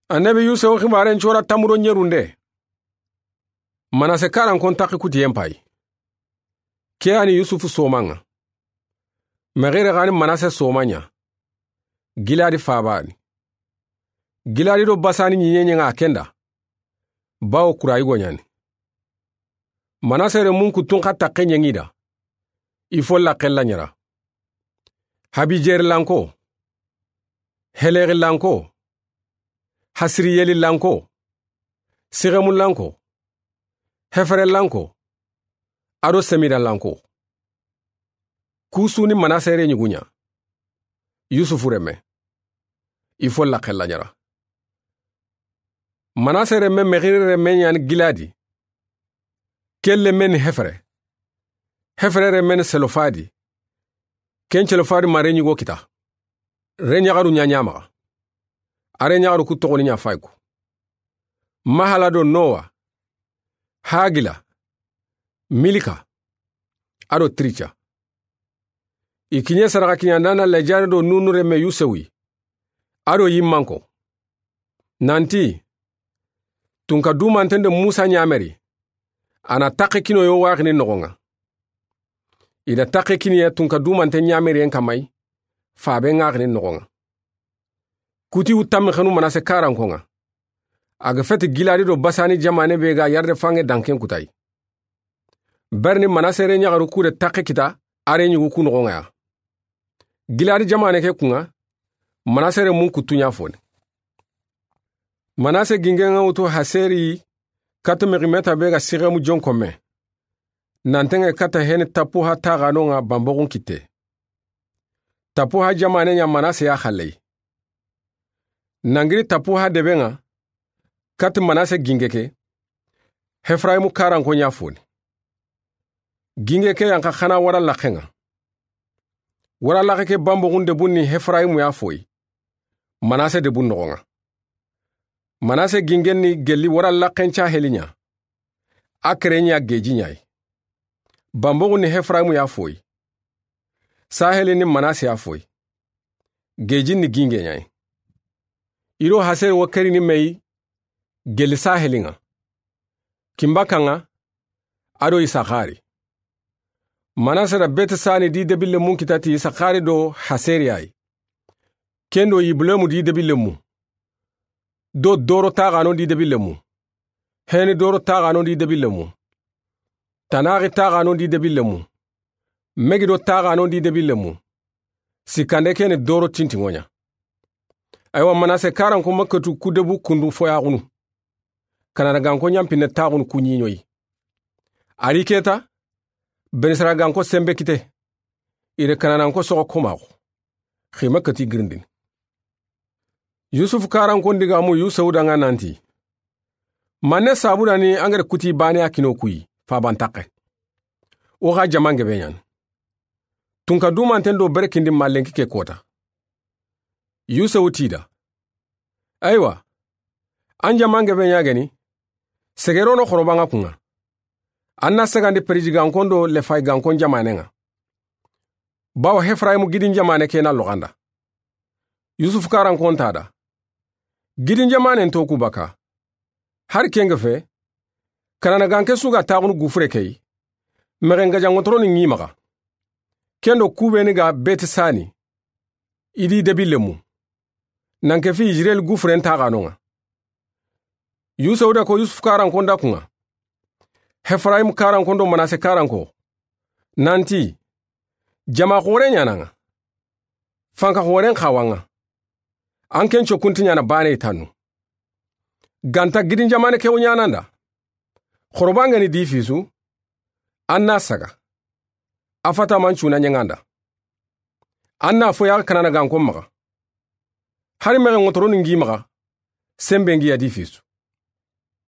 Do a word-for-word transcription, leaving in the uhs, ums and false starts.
Annabi Yusufu xibaaren cora tamuro ɲerunde. Manase karankon taxi kutiyen payi. Ke yani Yusufu somaŋa. Mexire xani Manase somaɲa. Giladi fabani. Giladi do Basani ɲiɲeɲeŋa kenda. Bawo kurayigo ɲani. Manase remun kuttun xa taxe ɲeŋida. I fo laxe laɲara. Habijerilanko. Helexilanko. Hasiriyelilanko. Sixemulanko. Heferelanko. Ado semidalanko. Kusuni Manase re ɲuguɲa. Yusufu reme. I fo laxe laɲara. Manase reme Mexire reme ɲani Giladi. Ke lemeni Hefere. Hefere remeni Selofadi. Ken Selofadi ma re ɲugo kita. Re ɲaxaru ɲaɲamaxa. A re ɲaxaru ku toxoni ɲa fayiku. Mahala do Nowa. Hagila. Milika. Ado Tirica. I kiɲe saraxa kiɲandana Lejare do Nunu reme Yusewi. Ado yimmanko. Nanti. Tunka dumanten do Musa ɲameri. A na taxe kinoyo waxini noxoŋa. I da taxe kiniye tunka dumanten ɲameriyen kamay. Fabe ŋaxini noxoŋa. Kuti wu tammi xenu Manase karankoŋa. A ga feti Giladi do Basani jamane be ga yarde fange danken kutay. Berni Manase re ɲaxaru kude taxe kita a re ɲugu ku noxoŋa ya. Giladi jamane ke kuŋa, Manase remun kuttuɲa foni. Manase gingeŋa wutu Haseri kata meximeta be ga Sixemu jonkonme. Nanteŋe kata heni Tapuha taxanoŋa banboxun kitte. Tapuha jamane ɲa Manase ya xalley. Nangiri Tapuha debeŋa, kati Manase ginge ke, Hefrayimu karanko ɲa foni. Ginge ke yanxa xana wara laxeŋa. Wara laxe ke banboxun debun ni Hefrayimu ya foyi. Manase debun noxoŋa. Manase gingen ni gelli wara laxen ca heliɲa. A kere ɲa geji ɲayi. Banboxun ni Hefrayimu ya foyi. Saheli ni Manase ya foyi. Geji ni ginge ɲayi. I do Haseri wo keri ni meyi gelli saheliŋa. Kimbakaŋa, ado Isakari. Manase da Beti Sani di debille mun kitati Isakari do Haseri ayi. Kendo Ibulemu di debille mu. Do doro taxano di debille mu. Heni doro taxano di debille mu. Tanaxi taxano di debille mu. Megido taxano di debille mu. Sikande keni doro tintiŋoɲa. Aywa Manase karanko makkatu kudebu kundu foyaxunu. Kanana ganko ɲampinne taxunu kuɲiɲoyi. Ari keta, Benisara ganko sembe kite. Ire kanananko soxo komaxu. Xima kati girindini. Yusufu karankon digamu Yusewu daŋa nanti. Manne sabudani angere kuti bane a kino kuyi, fabantaxe. O xa jamange be ɲani. Tunka dumanten do berekindi mallenki ke kota. Yusewu tida. Aywa. An jamange be ɲageni. Segerono xorobaŋa kuŋa. An na segandi periji gankon do lefay gankon jamaneŋa. Bawo Hefrayimu gidin jamane ke na loxanda. Yusufu karankon tada. Gidin jamanen to ku baka. Hari kenge fe. Kanana ganke suga taxunu gufure key. Mexen gajanŋotoro ni ŋimaxa. Kendo kubeni ga Beti Sani. Idi debille mu. Nanke fi Israel gufuren taxanoŋa. Yusewu da ko Yusufu karankon da kuŋa. Hefrayimu karankon do Manase karanko. Nanti. Jama xore ɲanaŋa. Fanka xoren xawaŋa. An ken cokunti ɲana bane tanu. Ganta gidin jamane kewu ɲananda. Xorobangeni di fisu. An na saga. A fata man cuna ɲaŋanda. An na foya kanana gankon maxa. Hari mexe ŋotoro ni ŋi maxa. Sembe ŋi ya di fisu.